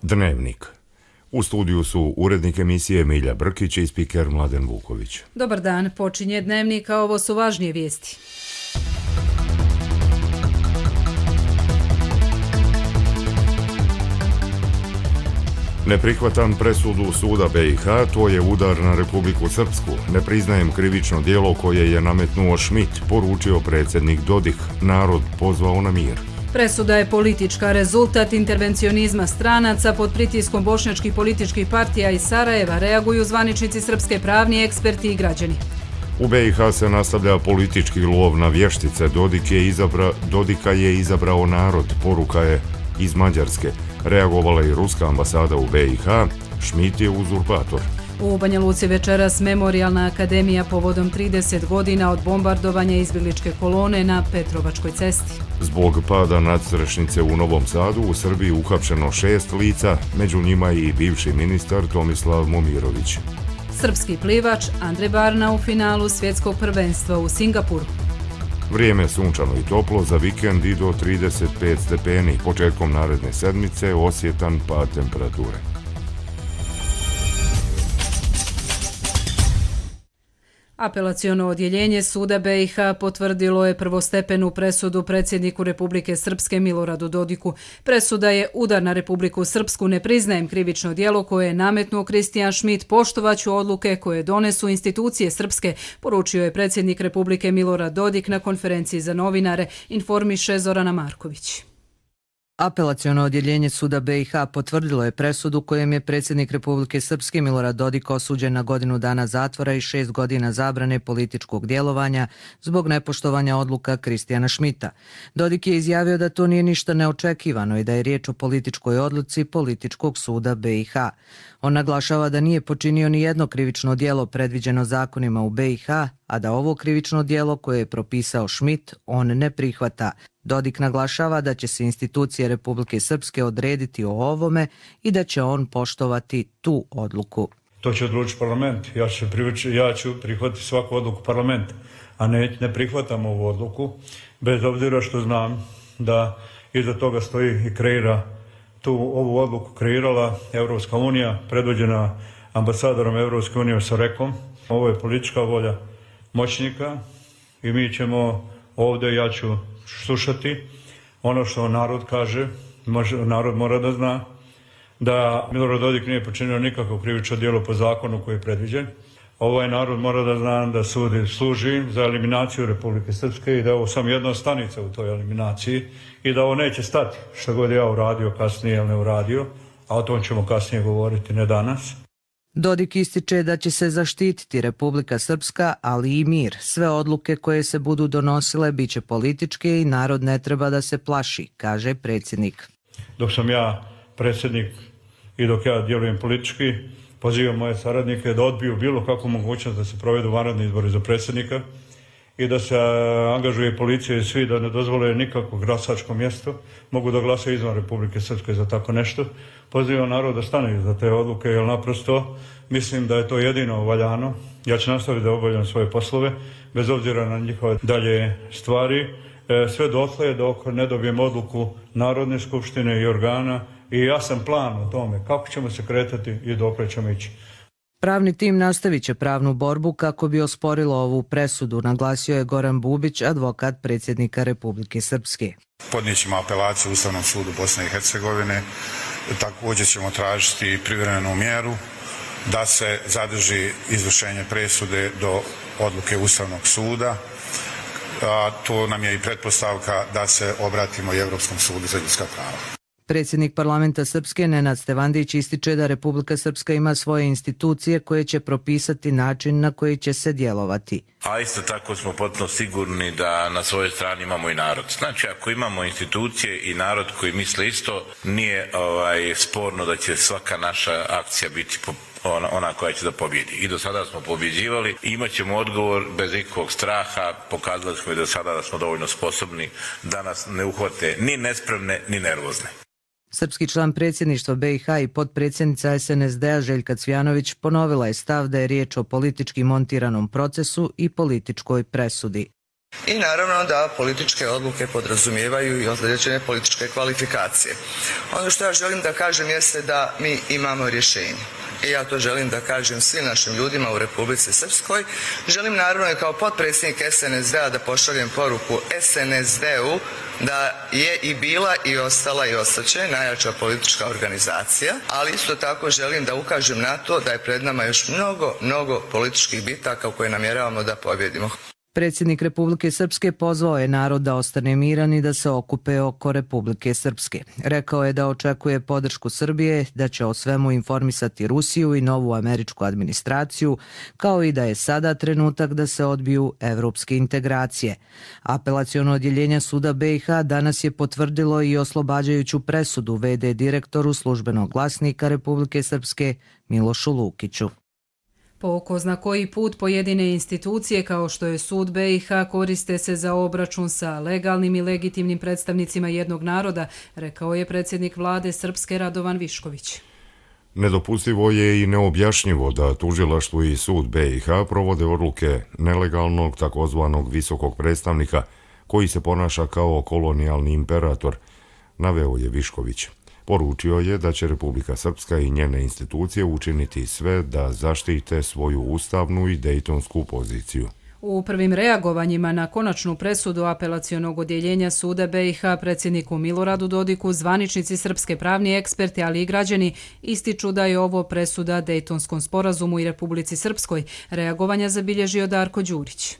Dnevnik. U studiju su urednik emisije Milja Brkić i spiker Mladen Vuković. Dobar dan, počinje Dnevnik, a ovo su važnije vijesti. Ne prihvatam presudu suda BiH, to je udar na Republiku Srpsku. Ne priznajem krivično djelo koje je nametnuo Schmidt, poručio predsjednik Dodik. Narod pozvao na mir. Presuda je politička, rezultat intervencionizma stranaca. Pod pritiskom bošnjačkih političkih partija iz Sarajeva reaguju zvaničnici srpske, pravni eksperti i građani. U BiH se nastavlja politički lov na vještice. Dodika je izabrao narod, poruka je iz Mađarske. Reagovala i ruska ambasada u BiH, Schmidt je uzurpator. U Banja Luci večeras Memorijalna akademija povodom 30 godina od bombardovanja izbjegličke kolone na Petrovačkoj cesti. Zbog pada nadstrešnice u Novom Sadu u Srbiji uhapšeno 6 lica, među njima i bivši ministar Tomislav Momirović. Srpski plivač Andrej Barna u finalu svjetskog prvenstva u Singapuru. Vrijeme sunčano i toplo, za vikend i do 35 stepeni. Početkom naredne sedmice osjetan pad temperature. Apelaciono odjeljenje suda BiH potvrdilo je prvostepenu presudu predsjedniku Republike Srpske Miloradu Dodiku. Presuda je udar na Republiku Srpsku, ne priznajem krivično djelo koje je nametnuo Kristijan Schmidt, poštovaću odluke koje donesu institucije srpske, poručio je predsjednik Republike Milorad Dodik na konferenciji za novinare, informiše Zorana Marković. Apelaciono odjeljenje suda BiH potvrdilo je presudu kojem je predsjednik Republike Srpske Milorad Dodik osuđen na godinu dana zatvora i 6 godina zabrane političkog djelovanja zbog nepoštovanja odluka Kristijana Schmidta. Dodik je izjavio da to nije ništa neočekivano i da je riječ o političkoj odluci političkog suda BiH. On naglašava da nije počinio ni jedno krivično djelo predviđeno zakonima u BiH, a da ovo krivično djelo koje je propisao Schmidt on ne prihvata. Dodik naglašava da će se institucije Republike Srpske odrediti o ovome i da će on poštovati tu odluku. To će odlučiti parlament. Ja ću prihvatiti svaku odluku parlamenta, a ne prihvatam ovu odluku, bez obzira što znam da iza toga stoji i kreira ovu odluku kreirala Europska unija, predvođena ambasadorom Europske unije Sorekom. Ovo je politička volja moćnika i mi ćemo ovdje, ja ću slušati ono što narod kaže. Narod mora da zna da Milorad Dodik nije počinio nikakvo krivično djelo po zakonu koji je predviđen. Ovaj narod mora da zna da sud služi za eliminaciju Republike Srpske i da je ovo samo jedna stanica u toj eliminaciji i da ovo neće stati, što god ja uradio kasnije ili ne uradio, a o tom ćemo kasnije govoriti, ne danas. Dodik ističe da će se zaštititi Republika Srpska, ali i mir. Sve odluke koje se budu donosile bit će političke i narod ne treba da se plaši, kaže predsjednik. Dok sam ja predsjednik i dok ja djelujem politički, pozivam moje saradnike da odbiju bilo kakvu mogućnost da se provedu vanredni izbori za predsjednika i da se angažuje policija i svi da ne dozvole nikakvo glasačko mjesto. Mogu da glasaju izvan Republike Srpske za tako nešto. Pozivam narod da stane za te odluke, jer naprosto mislim da je to jedino valjano. Ja ću nastaviti da obavljam svoje poslove, bez obzira na njihove dalje stvari, sve dotle dok ne dobijem odluku Narodne skupštine i organa i jasan plan o tome kako ćemo se kretati i dokle ćemo ići. Pravni tim nastavit će pravnu borbu kako bi osporilo ovu presudu, naglasio je Goran Bubić, advokat predsjednika Republike Srpske. Podnijet ćemo apelaciju Ustavnom sudu Bosne i Hercegovine, također ćemo tražiti privremenu mjeru da se zadrži izvršenje presude do odluke Ustavnog suda. To nam je i pretpostavka da se obratimo i Europskom sudu za ljudska prava. Predsjednik parlamenta Srpske Nenad Stevandić ističe da Republika Srpska ima svoje institucije koje će propisati način na koji će se djelovati. A isto tako smo potpuno sigurni da na svojoj strani imamo i narod. Znači, ako imamo institucije i narod koji misle isto, nije sporno da će svaka naša akcija biti ona koja će da pobjedi. I do sada smo pobjeđivali i imat ćemo odgovor bez ikakvog straha. Pokazali smo i do sada da smo dovoljno sposobni da nas ne uhvate ni nespremne ni nervozne. Srpski član predsjedništva BiH i potpredsjednica SNSD-a Željka Cvjanović ponovila je stav da je riječ o politički montiranom procesu i političkoj presudi. I naravno da političke odluke podrazumijevaju i određene političke kvalifikacije. Ono što ja želim da kažem jeste da mi imamo rješenje. I ja to želim da kažem svim našim ljudima u Republici Srpskoj. Želim naravno i kao potpredsjednik SNSD-a da pošaljem poruku SNSD-u da je i bila i ostala i ostaće najjača politička organizacija, ali isto tako želim da ukažem na to da je pred nama još mnogo političkih bitaka u koje namjeravamo da pobjedimo. Predsjednik Republike Srpske pozvao je narod da ostane miran i da se okupe oko Republike Srpske. Rekao je da očekuje podršku Srbije, da će o svemu informisati Rusiju i novu američku administraciju, kao i da je sada trenutak da se odbiju evropske integracije. Apelaciono odjeljenje suda BiH danas je potvrdilo i oslobađajuću presudu v.d. direktoru Službenog glasnika Republike Srpske Milošu Lukiću. Po ko zna koji put pojedine institucije kao što je sud BiH koriste se za obračun sa legalnim i legitimnim predstavnicima jednog naroda, rekao je predsjednik vlade Srpske Radovan Višković. Nedopustivo je i neobjašnjivo da tužilaštvo i sud BiH provode odluke nelegalnog takozvanog visokog predstavnika koji se ponaša kao kolonijalni imperator, naveo je Višković. Poručio je da će Republika Srpska i njene institucije učiniti sve da zaštite svoju ustavnu i dejtonsku poziciju. U prvim reagovanjima na konačnu presudu apelacionog odjeljenja suda BiH predsjedniku Miloradu Dodiku zvaničnici srpske pravni eksperti, ali i građani ističu da je ovo presuda Dejtonskom sporazumu i Republici Srpskoj. Reagovanja zabilježio Darko Đurić.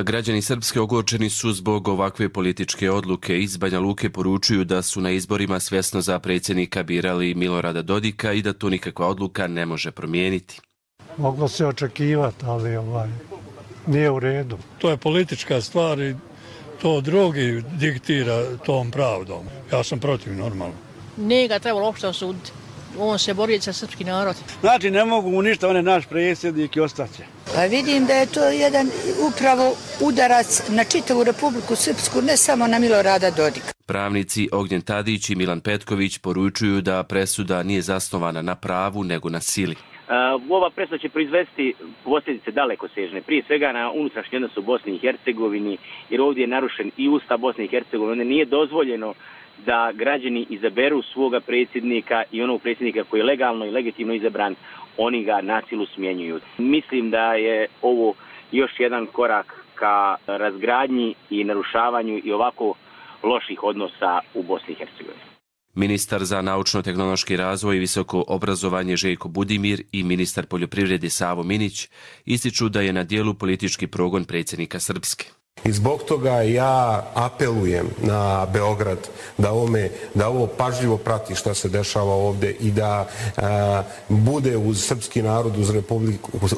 Građani Srpske ogorčeni su zbog ovakve političke odluke. Iz Banja Luke poručuju da su na izborima svjesno za predsjednika birali Milorada Dodika i da to nikakva odluka ne može promijeniti. Moglo se očekivati, ali nije u redu. To je politička stvar i to drugi diktira tom pravdom. Ja sam protiv, normalno. Nije ga trebalo uopšte osuditi. On se bori za srpski narod. Znači, ne mogu mu ništa, on je naš predsjednik i ostaće. Pa vidim da je to jedan upravo udarac na čitavu Republiku Srpsku, ne samo na Milorada Dodika. Pravnici Ognjen Tadić i Milan Petković poručuju da presuda nije zasnovana na pravu nego na sili. Ova presuda će proizvesti posljedice dalekosežne, prije svega na unutrašnji odnos u Bosni i Hercegovini, jer ovdje je narušen i Ustav Bosne i Hercegovine. Nije dozvoljeno da građani izaberu svoga predsjednika i onog predsjednika koji je legalno i legitimno izabran, oni ga na silu smjenjuju. Mislim da je ovo još jedan korak ka razgradnji i narušavanju i ovako loših odnosa u Bosni i Hercegovini. Ministar za naučno-tehnološki razvoj i visoko obrazovanje Željko Budimir i ministar poljoprivrede Savo Minić ističu da je na dijelu politički progon predsjednika Srpske. I zbog toga ja apelujem na Beograd da ovo pažljivo prati što se dešava ovdje i da bude uz srpski narod,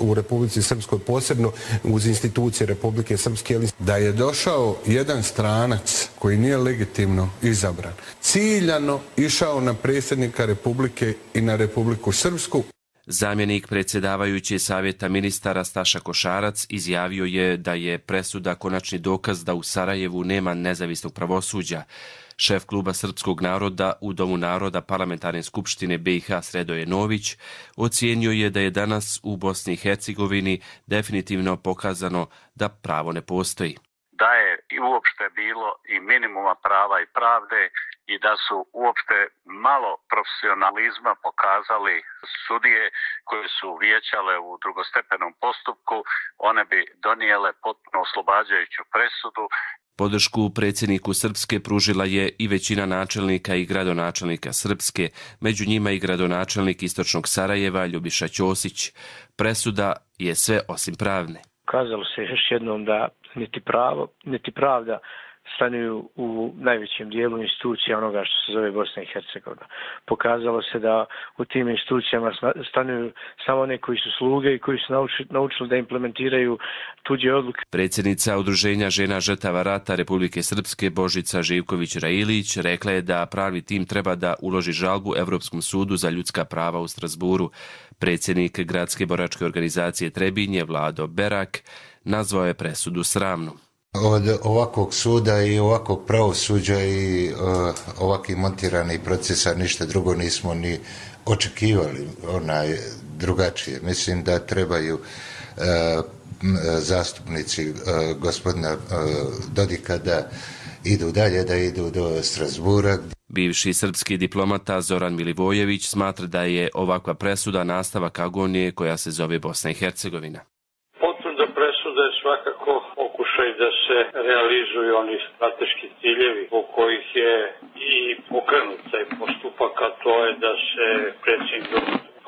u Republici Srpskoj, posebno uz institucije Republike Srpske, da je došao jedan stranac koji nije legitimno izabran, ciljano išao na predsjednika Republike i na Republiku Srpsku. Zamjenik predsjedavajuće savjeta ministara Staša Košarac izjavio je da je presuda konačni dokaz da u Sarajevu nema nezavisnog pravosuđa. Šef kluba Srpskog naroda u Domu naroda Parlamentarne skupštine BiH Sredoje Nović ocijenio je da je danas u Bosni i Hercegovini definitivno pokazano da pravo ne postoji. Da je i uopšte bilo i minimuma prava i pravde i da su uopšte malo profesionalizma pokazali sudije koje su vijećale u drugostepenom postupku, one bi donijele potpuno oslobađajuću presudu. Podršku predsjedniku Srpske pružila je i većina načelnika i gradonačelnika Srpske, među njima i gradonačelnik istočnog Sarajeva Ljubiša Ćosić. Presuda je sve osim pravne. Kazalo se još jednom da niti pravo, niti pravda stanuju u najvećem dijelu institucija onoga što se zove Bosna i Hercegovina. Pokazalo se da u tim institucijama stanuju samo one koji su sluge i koji su naučili da implementiraju tuđe odluke. Predsjednica Udruženja žena žrtava rata Republike Srpske Božica Živković-Railić rekla je da pravni tim treba da uloži žalbu Evropskom sudu za ljudska prava u Strasburu. Predsjednik gradske boračke organizacije Trebinje Vlado Berak nazvao je presudu sramnom. Od ovakvog suda i ovakvog pravosuđa i ovakvih montiranih procesa ništa drugo nismo ni očekivali drugačije. Mislim da trebaju zastupnici gospodina Dodika da idu dalje, da idu do Strasbura. Bivši srpski diplomata Zoran Milivojević smatra da je ovakva presuda nastavak agonije koja se zove Bosna i Hercegovina. Potvrda presuda je svakako pokušaj da se realizuju oni strateški ciljevi po kojih je i pokrenut taj postupak, a to je da se predsjednik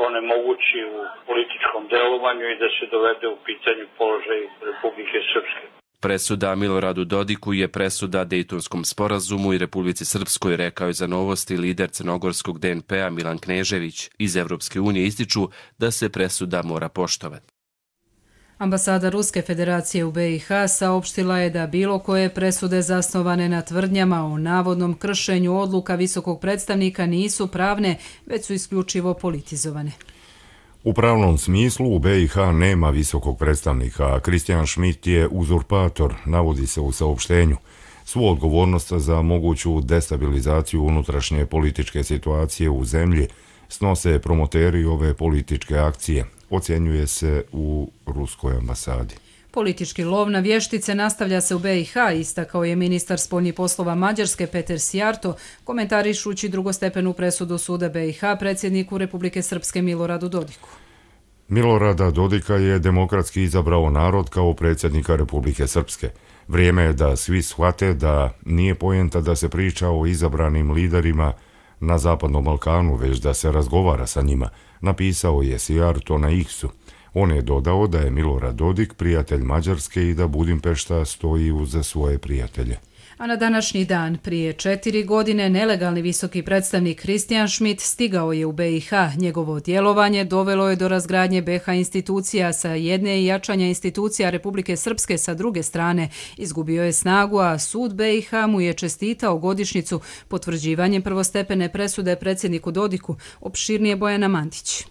onemogući u političkom delovanju i da se dovede u pitanje položaj Republike Srpske. Presuda Miloradu Dodiku je presuda Dejtonskom sporazumu i Republici Srpskoj, rekao je za Novosti lider crnogorskog DNP-a Milan Knežević. Iz Evropske unije ističu da se presuda mora poštovati. Ambasada Ruske federacije u BiH saopštila je da bilo koje presude zasnovane na tvrdnjama o navodnom kršenju odluka visokog predstavnika nisu pravne, već su isključivo politizovane. U pravnom smislu u BiH nema visokog predstavnika, a Christian Schmidt je uzurpator, navodi se u saopštenju. Svu odgovornost za moguću destabilizaciju unutrašnje političke situacije u zemlji snose promoteri ove političke akcije, ocjenjuje se u ruskoj ambasadi. Politički lov na vještice nastavlja se u BiH, istakao je ministar spoljnih poslova Mađarske Peter Sijarto, komentarišući drugostepenu presudu suda BiH predsjedniku Republike Srpske Miloradu Dodiku. Milorada Dodika je demokratski izabrao narod kao predsjednika Republike Srpske. Vrijeme je da svi shvate da nije poenta da se priča o izabranim liderima na Zapadnom Balkanu, već da se razgovara sa njima, napisao je Sijarto na X-u. On je dodao da je Milorad Dodik prijatelj Mađarske i da Budimpešta stoji uz svoje prijatelje. A na današnji dan, prije 4 godine, nelegalni visoki predstavnik Christian Schmidt stigao je u BiH. Njegovo djelovanje dovelo je do razgradnje BiH institucija sa jedne i jačanja institucija Republike Srpske sa druge strane. Izgubio je snagu, a sud BiH mu je čestitao godišnjicu potvrđivanjem prvostepene presude predsjedniku Dodiku, opširnije Bojana Mandić.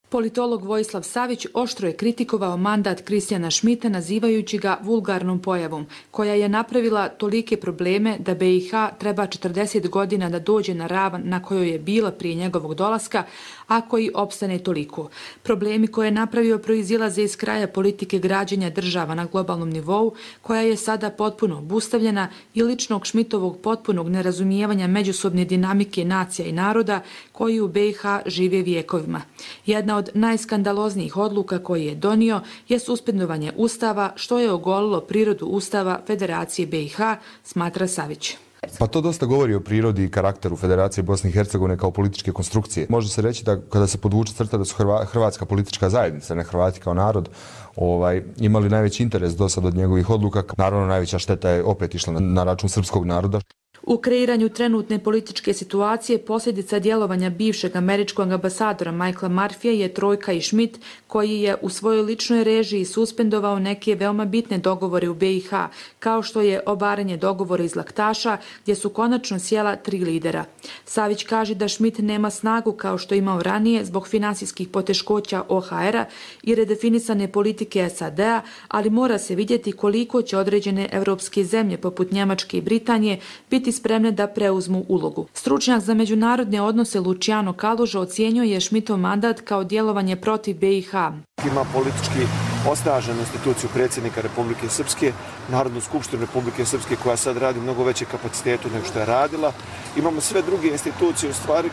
Politolog Vojislav Savić oštro je kritikovao mandat Christiana Schmidta nazivajući ga vulgarnom pojavom, koja je napravila tolike probleme da BiH treba 40 godina da dođe na ravan na kojoj je bila prije njegovog dolaska, a koji opstane toliko. Problemi koje je napravio proizilaze iz kraja politike građenja država na globalnom nivou, koja je sada potpuno obustavljena, i ličnog Schmidtovog potpunog nerazumijevanja međusobne dinamike nacija i naroda koji u BiH žive vijekovima. Jedna od najskandaloznijih odluka koje je donio je suspendovanje Ustava, što je ogolilo prirodu Ustava Federacije BiH, smatra Savić. Pa to dosta govori o prirodi i karakteru Federacije Bosne i Hercegovine kao političke konstrukcije. Može se reći da kada se podvuče crta da su hrvatska politička zajednica, ne Hrvati kao narod, imali najveći interes do sad od njegovih odluka. Naravno, najveća šteta je opet išla na račun srpskog naroda. U kreiranju trenutne političke situacije posljedica djelovanja bivšeg američkog ambasadora Michaela Murphyja je trojka i Schmidt, koji je u svojoj ličnoj režiji suspendovao neke veoma bitne dogovore u BiH, kao što je obaranje dogovora iz Laktaša, gdje su konačno sjela 3 lidera. Savić kaže da Schmidt nema snagu kao što je imao ranije zbog finansijskih poteškoća OHR-a i redefinisane politike SAD-a, ali mora se vidjeti koliko će određene evropske zemlje poput Njemačke i Britanije biti spremne da preuzmu ulogu. Stručnjak za međunarodne odnose Luciano Kaluža ocjenjuje Schmidtov mandat kao djelovanje protiv BiH. Ima politički osnaženu instituciju predsjednika Republike Srpske, Narodnu skupštinu Republike Srpske koja sad radi mnogo veće kapacitetu nego što je radila. Imamo sve druge institucije u stvari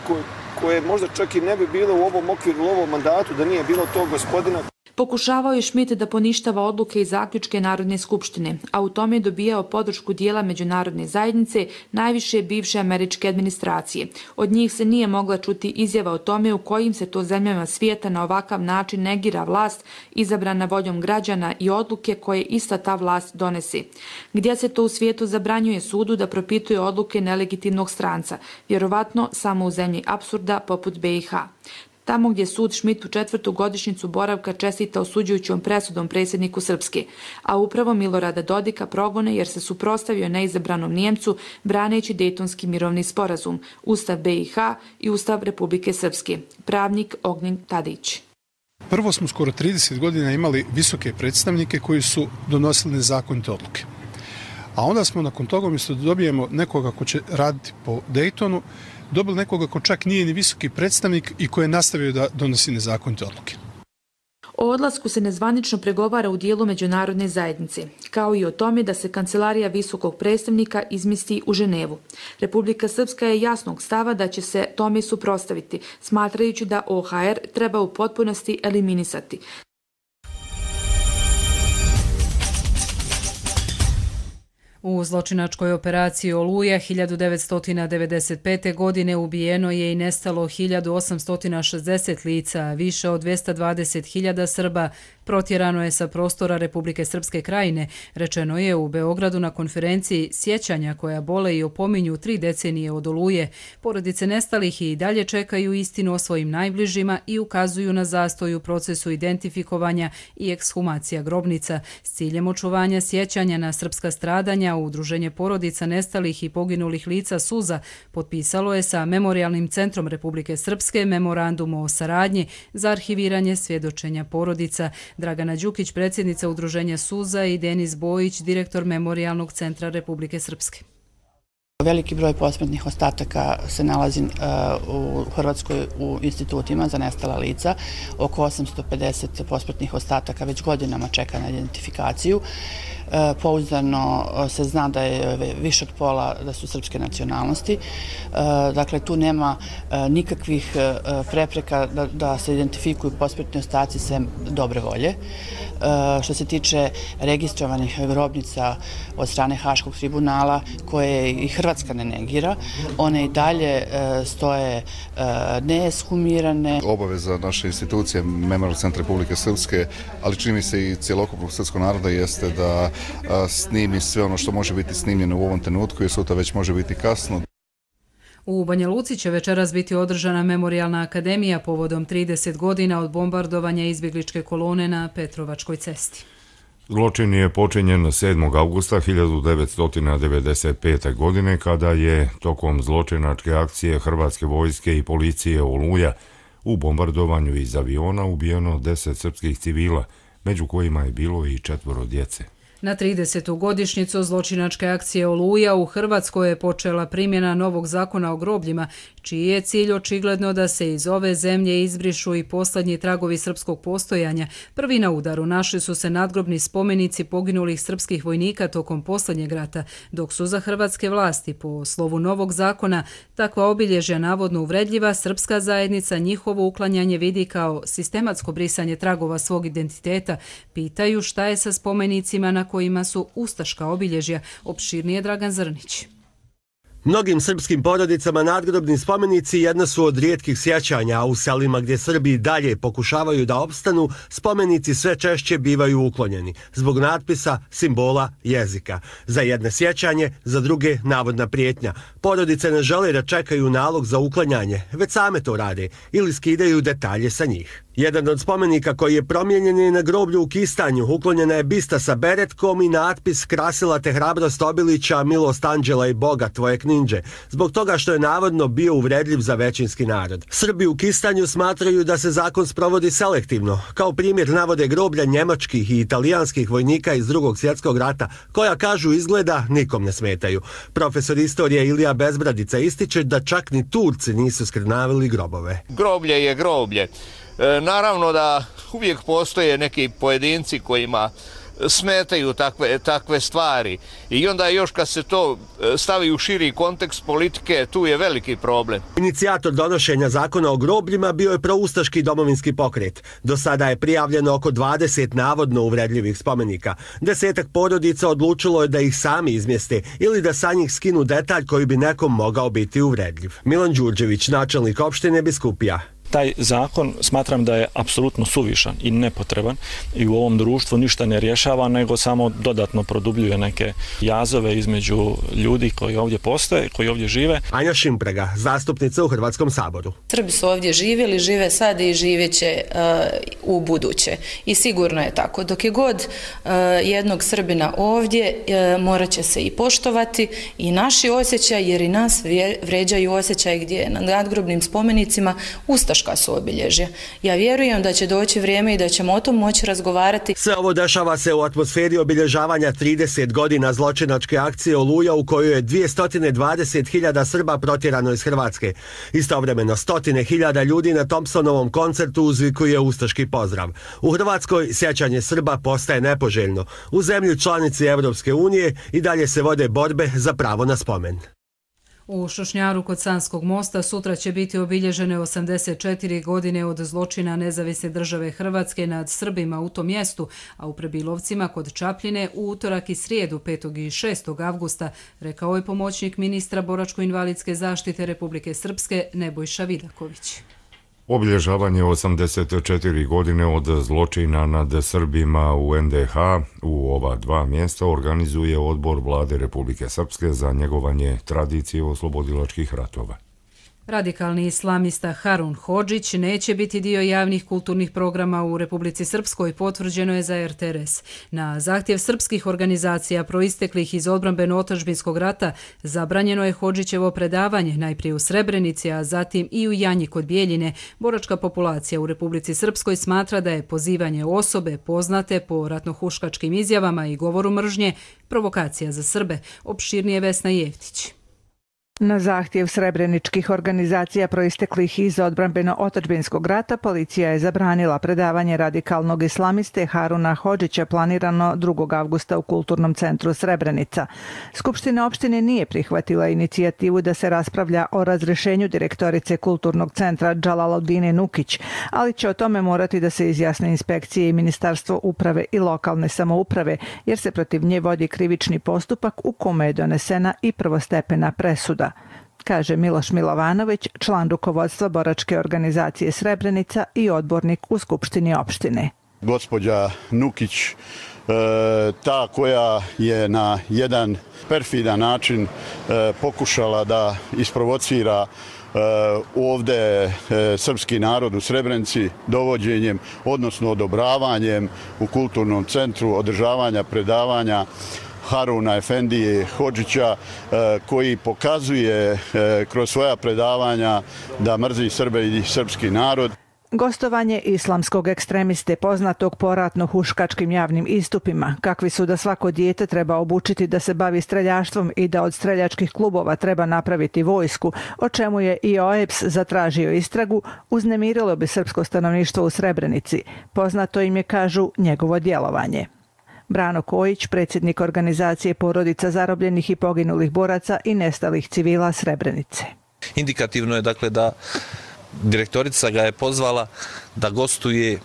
koje možda čak i ne bi bile u ovom okviru, u ovom mandatu da nije bilo tog gospodina. Pokušavao je Schmidt da poništava odluke i zaključke Narodne skupštine, a u tome je dobijao podršku dijela međunarodne zajednice, najviše bivše američke administracije. Od njih se nije mogla čuti izjava o tome u kojim se to zemljama svijeta na ovakav način negira vlast izabrana voljom građana i odluke koje ista ta vlast donese. Gdje se to u svijetu zabranjuje sudu da propituje odluke nelegitimnog stranca, vjerovatno samo u zemlji apsurda poput BiH. Tamo gdje sud Schmidtu 4. godišnjicu boravka čestita osuđujućom presudom predsjedniku Srpske, a upravo Milorada Dodika progone jer se suprotstavio neizabranom Nijemcu braneći Dejtonski mirovni sporazum, Ustav BiH i Ustav Republike Srpske. Pravnik Ognjen Tadić. Prvo smo skoro 30 godina imali visoke predstavnike koji su donosili nezakonite odluke. A onda smo nakon toga, umjesto da dobijemo nekoga ko će raditi po Dejtonu, dobili nekoga ko čak nije ni visoki predstavnik i koji je nastavio da donosi nezakonite odluke. O odlasku se nezvanično pregovara u dijelu međunarodne zajednice, kao i o tome da se kancelarija visokog predstavnika izmjesti u Ženevu. Republika Srpska je jasnog stava da će se tome suprotstaviti, smatrajući da OHR treba u potpunosti eliminisati. U zločinačkoj operaciji Oluja 1995. godine ubijeno je i nestalo 1860 lica, a više od 220.000 Srba protjerano je sa prostora Republike Srpske Krajine, rečeno je u Beogradu na konferenciji sjećanja koja bole i opominju 3 decenije od Oluje. Porodice nestalih i dalje čekaju istinu o svojim najbližima i ukazuju na zastoj u procesu identifikovanja i ekshumacija grobnica s ciljem očuvanja sjećanja na srpska stradanja. Udruženje porodica nestalih i poginulih lica Suza potpisalo je sa Memorijalnim centrom Republike Srpske memorandum o saradnji za arhiviranje svjedočenja porodica. Dragana Đukić, predsjednica Udruženja Suza, i Denis Bojić, direktor Memorijalnog centra Republike Srpske. Veliki broj posmrtnih ostataka se nalazi u Hrvatskoj u institutima za nestala lica. Oko 850 posmrtnih ostataka već godinama čeka na identifikaciju. Pouzdano se zna da je više od pola da su srpske nacionalnosti. Dakle, tu nema nikakvih prepreka da se identifikuju posmrtni ostaci sem dobre volje. Što se tiče registrovanih grobnica od strane Haškog tribunala, koje i Hrvatska ne negira, one i dalje stoje neeshumirane. Obaveza naše institucije Memorijalnog centra Republike Srpske, ali čini mi se i cjelokupnog srpskog naroda, jeste da snimi sve ono što može biti snimljeno u ovom trenutku, jer sutra već može biti kasno. U Banja Luci će večeras biti održana Memorijalna akademija povodom 30 godina od bombardovanja izbjegličke kolone na Petrovačkoj cesti. Zločin je počinjen 7. augusta 1995. godine kada je tokom zločinačke akcije Hrvatske vojske i policije Oluja u bombardovanju iz aviona ubijeno 10 srpskih civila, među kojima je bilo i 4 djece. Na 30. godišnjicu zločinačke akcije Oluja u Hrvatskoj je počela primjena novog zakona o grobljima, čiji je cilj očigledno da se iz ove zemlje izbrišu i posljednji tragovi srpskog postojanja. Prvi na udaru našli su se nadgrobni spomenici poginulih srpskih vojnika tokom posljednjeg rata, dok su za hrvatske vlasti po slovu novog zakona takva obilježja navodno uvredljiva, srpska zajednica njihovo uklanjanje vidi kao sistematsko brisanje tragova svog identiteta. Pitaju šta je sa spomenicima na kojima su ustaška obilježja. Opširnije Dragan Zrnić. Mnogim srpskim porodicama nadgrobni spomenici jedna su od rijetkih sjećanja, a u selima gdje Srbi dalje pokušavaju da opstanu, spomenici sve češće bivaju uklonjeni, zbog natpisa, simbola, jezika. Za jedne sjećanje, za druge navodna prijetnja. Porodice ne žele da čekaju nalog za uklanjanje, već same to rade ili skidaju detalje sa njih. Jedan od spomenika koji je promijenjen je na groblju u Kistanju. Uklonjena je bista sa beretkom i natpis "Krasila te hrabrost Obilića, milost anđela i Boga, tvoje kninđe", zbog toga što je navodno bio uvredljiv za većinski narod. Srbi u Kistanju smatraju da se zakon sprovodi selektivno. Kao primjer navode groblja njemačkih i italijanskih vojnika iz Drugog svjetskog rata, koja, kažu, izgleda nikom ne smetaju. Profesor istorije Ilija Bezbradica ističe da čak ni Turci nisu skrnavili grobove. Groblje je groblje. Naravno da uvijek postoje neki pojedinci kojima smetaju takve stvari i onda još kad se to stavi u širi kontekst politike, tu je veliki problem. Inicijator donošenja zakona o grobljima bio je proustaški domovinski pokret. Do sada je prijavljeno oko 20 navodno uvredljivih spomenika. 10 porodica odlučilo je da ih sami izmjeste ili da sa njih skinu detalj koji bi nekom mogao biti uvredljiv. Milan Đurđević, načelnik opštine Biskupija. Taj zakon smatram da je apsolutno suvišan i nepotreban i u ovom društvu ništa ne rješava, nego samo dodatno produbljuje neke jazove između ljudi koji ovdje postoje, koji ovdje žive. Anja Šimprega, zastupnica u Hrvatskom saboru. Srbi su ovdje živjeli, žive sad i živjeće u buduće. I sigurno je tako. Dok je god jednog Srbina ovdje, morat će se i poštovati i naši osjećaj, jer i nas vređaju osjećaj gdje na nadgrobnim spomenicima ustaški ustaška su obilježja. Ja vjerujem da će doći vrijeme i da ćemo o tom moći razgovarati. Sve ovo dešava se u atmosferi obilježavanja 30 godina zločinačke akcije Oluja u kojoj je 220.000 Srba protjerano iz Hrvatske. Istovremeno 100.000 ljudi na Thompsonovom koncertu uzvikuje ustaški pozdrav. U Hrvatskoj sjećanje Srba postaje nepoželjno. U zemlji članici Evropske unije i dalje se vode borbe za pravo na spomen. U Šušnjaru kod Sanskog mosta sutra će biti obilježene 84 godine od zločina Nezavisne države Hrvatske nad Srbima u tom mjestu, a u Prebilovcima kod Čapljine u utorak i srijedu 5. i 6. avgusta, rekao je pomoćnik ministra boračko-invalidske zaštite Republike Srpske Nebojša Vidaković. Obilježavanje 84 godine od zločina nad Srbima u NDH u ova dva mjesta organizuje Odbor Vlade Republike Srpske za njegovanje tradicije oslobodilačkih ratova. Radikalni islamista Harun Hodžić neće biti dio javnih kulturnih programa u Republici Srpskoj, potvrđeno je za RTRS. Na zahtjev srpskih organizacija proisteklih iz odbrambeno-otadžbinskog rata zabranjeno je Hodžićevo predavanje najprije u Srebrenici, a zatim i u Janji kod Bijeljine. Boračka populacija u Republici Srpskoj smatra da je pozivanje osobe poznate po ratnohuškačkim izjavama i govoru mržnje provokacija za Srbe. Opširnije Vesna Jevtić. Na zahtjev srebreničkih organizacija proisteklih iz odbrambeno-otadžbinskog rata, policija je zabranila predavanje radikalnog islamiste Haruna Hodžića planirano 2. avgusta u Kulturnom centru Srebrenica. Skupština opštine nije prihvatila inicijativu da se raspravlja o razrešenju direktorice Kulturnog centra Džalaludine Nukić, ali će o tome morati da se izjasne inspekcije i Ministarstvo uprave i lokalne samouprave, jer se protiv nje vodi krivični postupak u kome je donesena i prvostepena presuda, kaže Miloš Milovanović, član rukovodstva boračke organizacije Srebrenica i odbornik u Skupštini opštine. Gospođa Nukić, ta koja je na jedan perfidan način pokušala da isprovocira ovdje srpski narod u Srebrenici dovođenjem, odnosno odobravanjem u kulturnom centru održavanja predavanja Haruna Efendije Hodžića, koji pokazuje kroz svoja predavanja da mrzi Srbe i srpski narod. Gostovanje islamskog ekstremiste poznatog po ratno-huškačkim javnim istupima, kakvi su da svako dijete treba obučiti da se bavi streljaštvom i da od streljačkih klubova treba napraviti vojsku, o čemu je i OEBS zatražio istragu, uznemirilo bi srpsko stanovništvo u Srebrenici. Poznato im je, kažu, njegovo djelovanje. Brano Kojić, predsjednik organizacije porodica zarobljenih i poginulih boraca i nestalih civila Srebrenice. Indikativno je dakle da direktorica ga je pozvala da gostuje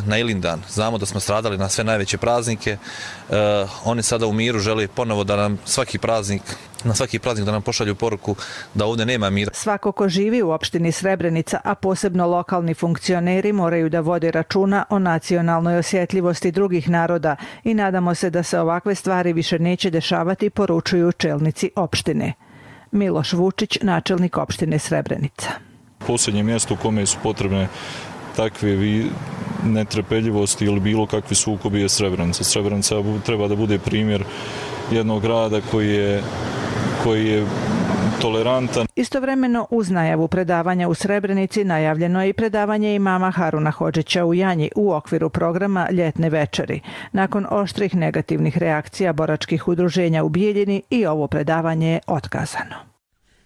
na Ilindan. Znamo da smo stradali na sve najveće praznike. Oni sada u miru žele ponovo da nam na svaki praznik da nam pošalju poruku da ovdje nema mira. Svako ko živi u opštini Srebrenica, a posebno lokalni funkcioneri, moraju da vode računa o nacionalnoj osjetljivosti drugih naroda i nadamo se da se ovakve stvari više neće dešavati, poručuju čelnici opštine. Miloš Vučić, načelnik opštine Srebrenica. Posljednje mjesto u kome su potrebne takve netrpeljivosti ili bilo kakvi sukobi je Srebrenica. Srebrenica treba da bude primjer jednog grada koji je tolerantan. Istovremeno uz najavu predavanja u Srebrenici najavljeno je i predavanje imama Haruna Hodžića u Janji u okviru programa Ljetne večeri. Nakon oštrih negativnih reakcija boračkih udruženja u Bijeljini i ovo predavanje je otkazano.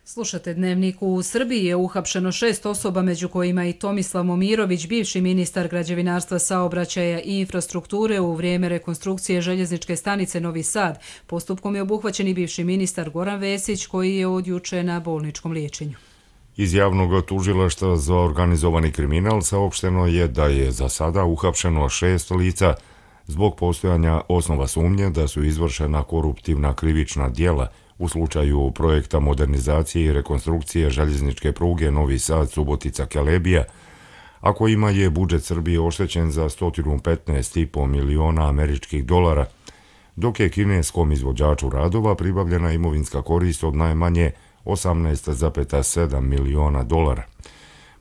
Slušate Dnevnik. U Srbiji je uhapšeno 6 osoba, među kojima i Tomislav Momirović, bivši ministar građevinarstva, saobraćaja i infrastrukture u vrijeme rekonstrukcije željezničke stanice Novi Sad. Postupkom je obuhvaćen i bivši ministar Goran Vesić, koji je od juče na bolničkom liječenju. Iz javnog tužilaštva za organizovani kriminal saopšteno je da je za sada uhapšeno 6 lica zbog postojanja osnova sumnje da su izvršena koruptivna krivična djela u slučaju projekta modernizacije i rekonstrukcije željezničke pruge Novi Sad-Subotica-Kelebija, a kojima je budžet Srbije oštećen za 115,5 miliona američkih dolara, dok je kineskom izvođaču radova pribavljena imovinska korist od najmanje 18,7 miliona dolara.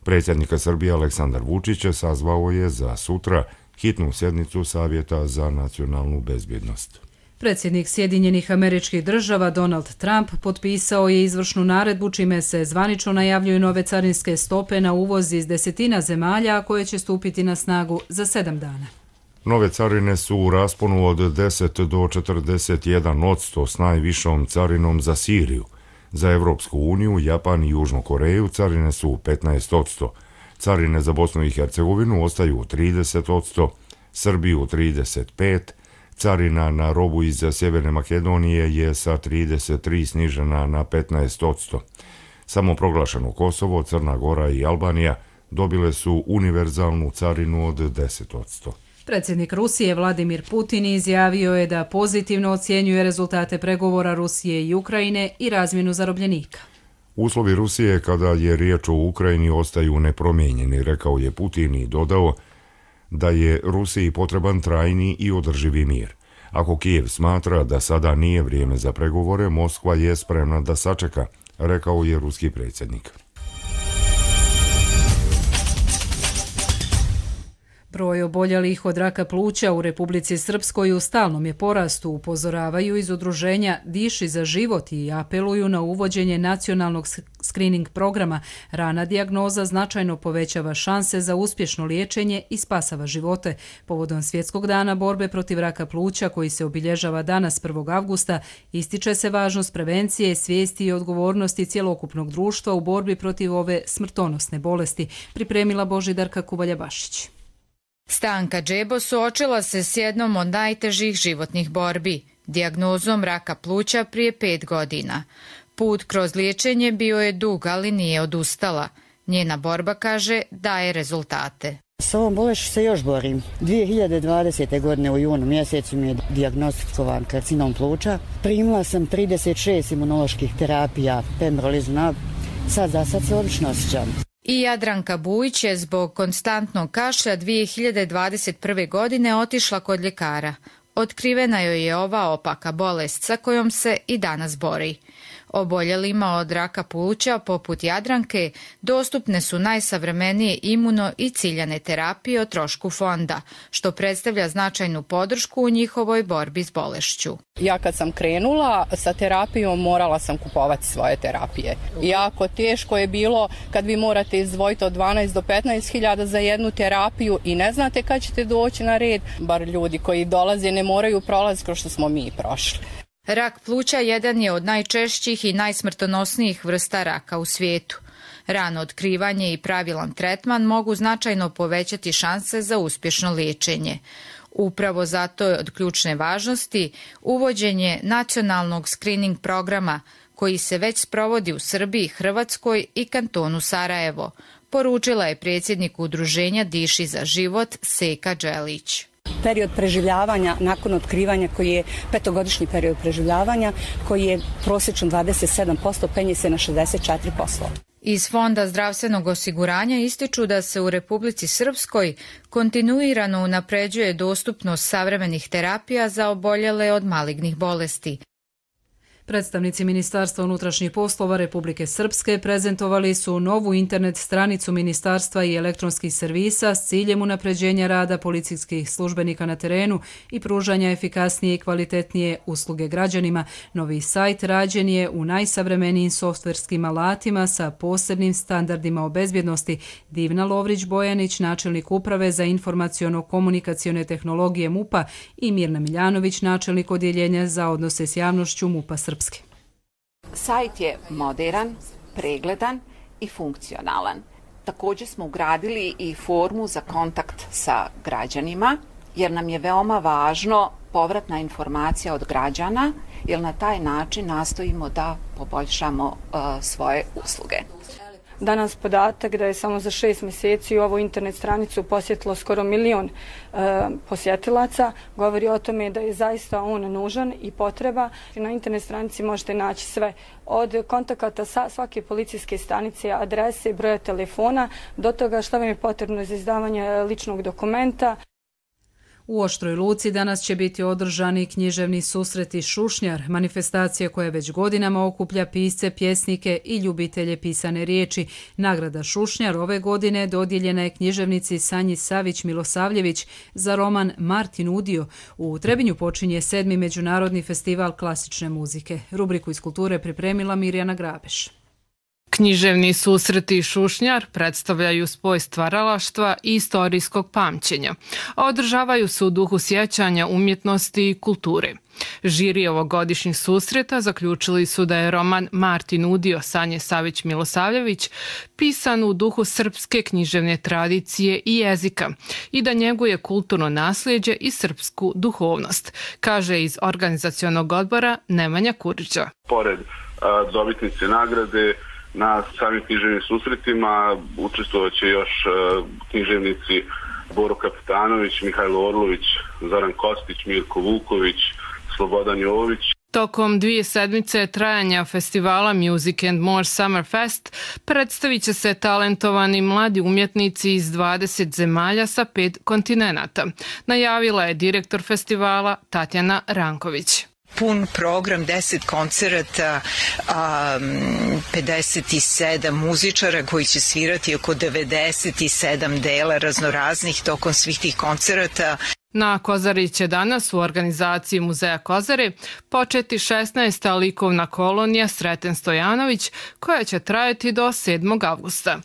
Predsjednik Srbije Aleksandar Vučić sazvao je za sutra hitnu sjednicu Savjeta za nacionalnu bezbjednost. Predsjednik Sjedinjenih Američkih Država Donald Trump potpisao je izvršnu naredbu čime se zvanično najavljuju nove carinske stope na uvoz iz 10 zemalja koje će stupiti na snagu za 7 dana. Nove carine su u rasponu od 10 do 41% s najvišom carinom za Siriju. Za Evropsku uniju, Japan i Južnu Koreju carine su 15%. Carine za Bosnu i Hercegovinu ostaju 30%, Srbiju 35%, carina na robu iz Sjeverne Makedonije je sa 33 snižena na 15%. Samoproglašeno Kosovo, Crna Gora i Albanija dobile su univerzalnu carinu od 10%. Predsjednik Rusije Vladimir Putin izjavio je da pozitivno ocjenjuje rezultate pregovora Rusije i Ukrajine i razmjenu zarobljenika. Uslovi Rusije kada je riječ o Ukrajini ostaju nepromijenjeni, rekao je Putin i dodao da je Rusiji potreban trajni i održivi mir. Ako Kijev smatra da sada nije vrijeme za pregovore, Moskva je spremna da sačeka, rekao je ruski predsjednik. Broj oboljelih od raka pluća u Republici Srpskoj u stalnom je porastu, upozoravaju iz udruženja Diši za život i apeluju na uvođenje nacionalnog screening programa. Rana dijagnoza značajno povećava šanse za uspješno liječenje i spasava živote. Povodom Svjetskog dana borbe protiv raka pluća, koji se obilježava danas 1. avgusta, ističe se važnost prevencije, svijesti i odgovornosti cjelokupnog društva u borbi protiv ove smrtonosne bolesti, pripremila Božidarka Kuvalja-Bašić. Stanka Džebo suočila se s jednom od najtežih životnih borbi, dijagnozom raka pluća prije 5 godina. Put kroz liječenje bio je dug, ali nije odustala. Njena borba, kaže, daje rezultate. S ovom bolešću se još borim. 2020. godine u junu mjesecu mi je dijagnostikovan karcinom pluća. Primila sam 36 imunoloških terapija, pembrolizumab. Sad se odlično osjećam. I Jadranka Bujić je zbog konstantnog kašlja 2021. godine otišla kod ljekara. Otkrivena joj je ova opaka bolest sa kojom se i danas bori. Oboljelima od raka pluća, poput Jadranke, dostupne su najsavremenije imuno i ciljane terapije o trošku fonda, što predstavlja značajnu podršku u njihovoj borbi s bolešću. Ja kad sam krenula sa terapijom, morala sam kupovati svoje terapije. Jako teško je bilo kad vi morate izdvojiti od 12 do 15 hiljada za jednu terapiju i ne znate kad ćete doći na red. Bar ljudi koji dolaze ne moraju prolaziti kao što smo mi prošli. Rak pluća jedan je od najčešćih i najsmrtonosnijih vrsta raka u svijetu. Rano otkrivanje i pravilan tretman mogu značajno povećati šanse za uspješno liječenje. Upravo zato je od ključne važnosti uvođenje nacionalnog screening programa koji se već sprovodi u Srbiji, Hrvatskoj i kantonu Sarajevo, poručila je predsjednik udruženja Diši za život Seka Đelić. Period preživljavanja nakon otkrivanja, koji je 5-godišnji period preživljavanja, koji je prosječno 27%, penje se na 64%. Iz Fonda zdravstvenog osiguranja ističu da se u Republici Srpskoj kontinuirano unapređuje dostupnost savremenih terapija za oboljele od malignih bolesti. Predstavnici Ministarstva unutrašnjih poslova Republike Srpske prezentovali su novu internet stranicu ministarstva i elektronskih servisa s ciljem unapređenja rada policijskih službenika na terenu i pružanja efikasnije i kvalitetnije usluge građanima. Novi sajt rađen je u najsavremenijim softverskim alatima sa posebnim standardima o bezbjednosti. Divna Lovrić-Bojanić, načelnik uprave za informaciono-komunikacione tehnologije MUP-a, i Mirna Miljanović, načelnik odjeljenja za odnose s javnošću MUP-a Srpske. Sajt je moderan, pregledan i funkcionalan. Također smo ugradili i formu za kontakt sa građanima, jer nam je veoma važno povratna informacija od građana, jer na taj način nastojimo da poboljšamo svoje usluge. Danas podatak da je samo za 6 mjeseci ovu internet stranicu posjetilo skoro 1 milion posjetilaca govori o tome da je zaista on nužan i potreba. Na internet stranici možete naći sve od kontakata sa svake policijske stanice, adrese, broja telefona, do toga što vam je potrebno za izdavanje ličnog dokumenta. U Oštroj Luci danas će biti održani književni susreti Šušnjar, manifestacija koja već godinama okuplja pisce, pjesnike i ljubitelje pisane riječi. Nagrada Šušnjar ove godine dodijeljena je književnici Sanji Savić-Milosavljević za roman Martin Udio. U Trebinju počinje 7. Međunarodni festival klasične muzike. Rubriku iz kulture pripremila Mirjana Grabeš. Književni susreti Šušnjar predstavljaju spoj stvaralaštva i istorijskog pamćenja, a održavaju se u duhu sjećanja, umjetnosti i kulture. Žiri ovogodišnjih susreta zaključili su da je roman Martin Udio Sanje Savić-Milosavljević pisan u duhu srpske književne tradicije i jezika i da njeguje kulturno nasljeđe i srpsku duhovnost, kaže iz organizacionog odbora Nemanja Kurića. Pored dobitnice nagrade, na samim književnim susretima učestvovat će još književnici Boro Kapitanović, Mihajlo Orlović, Zoran Kostić, Mirko Vuković, Slobodan Jovović. Tokom 2 sedmice trajanja festivala Music and More Summer Fest predstavit će se talentovani mladi umjetnici iz 20 zemalja sa 5 kontinenata, najavila je direktor festivala Tatjana Ranković. Pun program, 10 koncerata, 57 muzičara koji će svirati oko 97 dela raznoraznih tokom svih tih koncerata. Na Kozari će danas u organizaciji Muzeja Kozare početi 16. likovna kolonija Sreten Stojanović koja će trajati do 7. avgusta.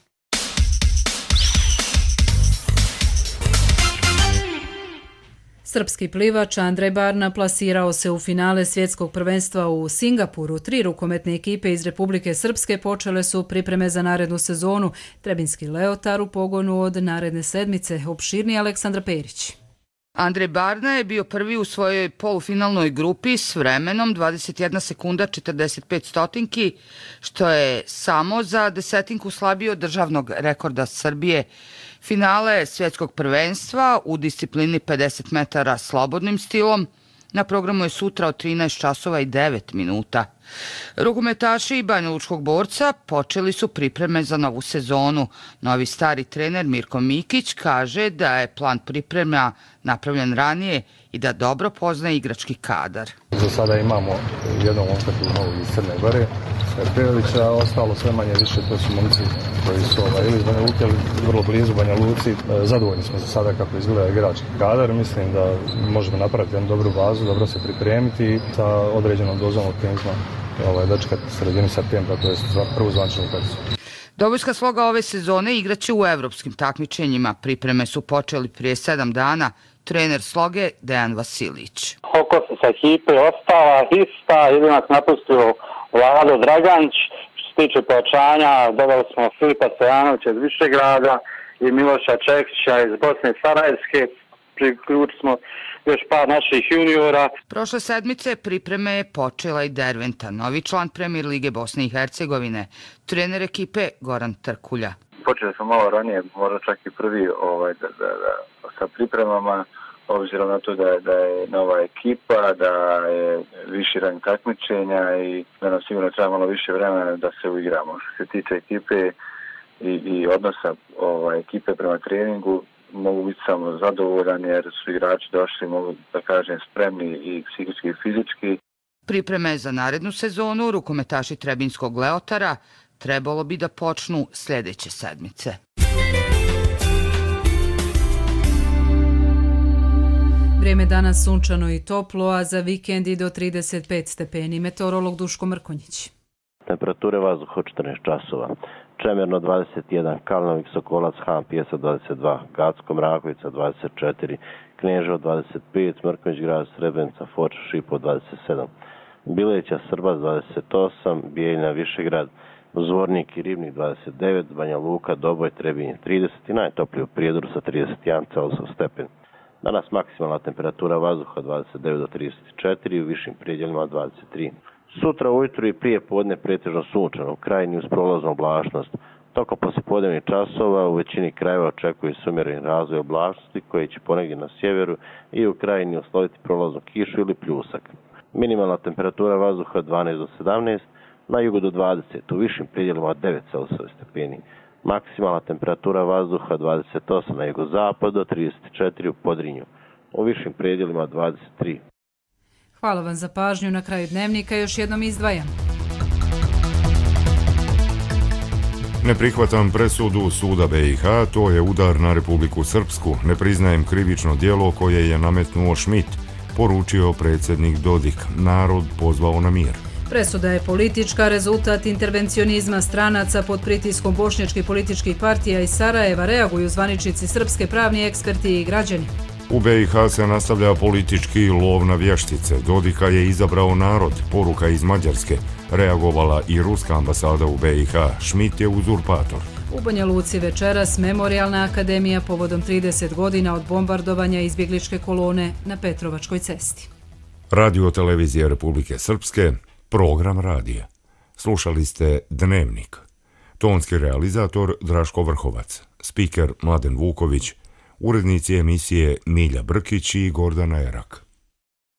Srpski plivač Andrej Barna plasirao se u finale svjetskog prvenstva u Singapuru. 3 rukometne ekipe iz Republike Srpske počele su pripreme za narednu sezonu. Trebinski Leotar u pogonu od naredne sedmice. Opširni Aleksandra Perić. Andrej Barna je bio prvi u svojoj polufinalnoj grupi s vremenom 21 sekunda 45 stotinki, što je samo za desetinku slabije od državnog rekorda Srbije. Finale svjetskog prvenstva u disciplini 50 metara slobodnim stilom na programu je sutra od 13 časova i 9 minuta. Rukometaši Banjalučkog Borca počeli su pripreme za novu sezonu. Novi stari trener Mirko Mikić kaže da je plan priprema napravljen ranije i da dobro poznaje igrački kadar. Za sada imamo jednog momka tu iz Crne Gore, Pejovića, ostalo sve manje više, to su momci koji su ili iz Banja Luke, ali vrlo blizu Banja Luci. Zadovoljni smo za sada kako izgleda igrački kadar, mislim da možemo napraviti jednu dobru bazu, dobro se pripremiti sa određenom dozom optimizma dočekati sredini septembra, to je prvu zvančnu utakmicu. Dobojska sloga ove sezone igraće u evropskim takmičenjima. Pripreme su počeli prije 7 dana. Trener sloge Dejan Vasilić. Okosnica ekipe ostala ista, jedino nas napustio Vlado Draganić. Što se tiče pojačanja, dodali smo Filipa Stojanovića iz Višegrada i Miloša Čekića iz Bosne i Sarajevske. Priključili smo još par naših juniora. Prošle sedmice pripreme je počela i Derventa, novi član Premier Lige Bosne i Hercegovine, trener ekipe Goran Trkulja. Počeli smo malo ranije, možda čak i prvi sa pripremama, obzirom na to da je nova ekipa, da je viši rang takmičenja i da nam sigurno treba malo više vremena da se uigramo. Što se tiče ekipe i odnosa ekipe prema treningu, mogu biti samo zadovoljan jer su igrači došli, mogu da kažem, spremni i psihički i fizički. Pripreme za narednu sezonu rukometaši Trebinskog Leotara trebalo bi da počnu sljedeće sedmice. Vrijeme danas sunčano i toplo, a za vikend i do 35 stepeni. Meteorolog Duško Mrkonjić. Temperature vazduha od 14 časova. Čemerno 21, Kalnovik, Sokolac, Han, Pjeca 22, Gacko, Mrakovica 24, Kneževo 25, Mrkonjić grad, Srebrenica, Foča, Šipo 27, Bileća, Srbac 28, Bijeljina, Višegrad, Zvornik i Ribnik 29, Banja Luka, Doboj, Trebinje 30 i najtoplije u Prijedoru sa 31 stepen. Danas maksimalna temperatura vazduha 29 do 34 i u višim predjelima 23. Sutra ujutru i prije podne pretežno sunčano, u krajini uz prolaznu oblačnost. Tokom poslijepodnevnih časova u većini krajeva očekuje se umjereni razvoj oblačnosti koji će ponegdje na sjeveru i u krajini usloviti prolaznu kišu ili pljusak. Minimalna temperatura vazduha 12 do 17, na jugu do 20, u višim predjelima 9 stepeni. Maksimalna temperatura vazduha 28 na jugozapadu do 34 u Podrinju. u višim predjelima 23. Hvala vam za pažnju. Na kraju dnevnika još jednom izdvajam. Ne prihvatam presudu suda BiH, to je udar na Republiku Srpsku. Ne priznajem krivično djelo koje je nametnuo Schmidt, poručio predsjednik Dodik. Narod pozvao na mir. Presuda je politička, rezultat intervencionizma stranaca pod pritiskom bošnjačkih političkih partija iz Sarajeva, reaguju zvaničnici srpske, pravni eksperti i građani. U BiH se nastavlja politički lov na vještice. Dodika je izabrao narod, poruka iz Mađarske. Reagovala i ruska ambasada u BiH. Schmidt je uzurpator. U Banja Luci večeras Memorijalna akademija povodom 30 godina od bombardovanja izbjegličke kolone na Petrovačkoj cesti. Radio televizije Republike Srpske, program radija. Slušali ste Dnevnik. Tonski realizator Draško Vrhovac, spiker Mladen Vuković, urednici emisije Milja Brkić i Gordana Erak.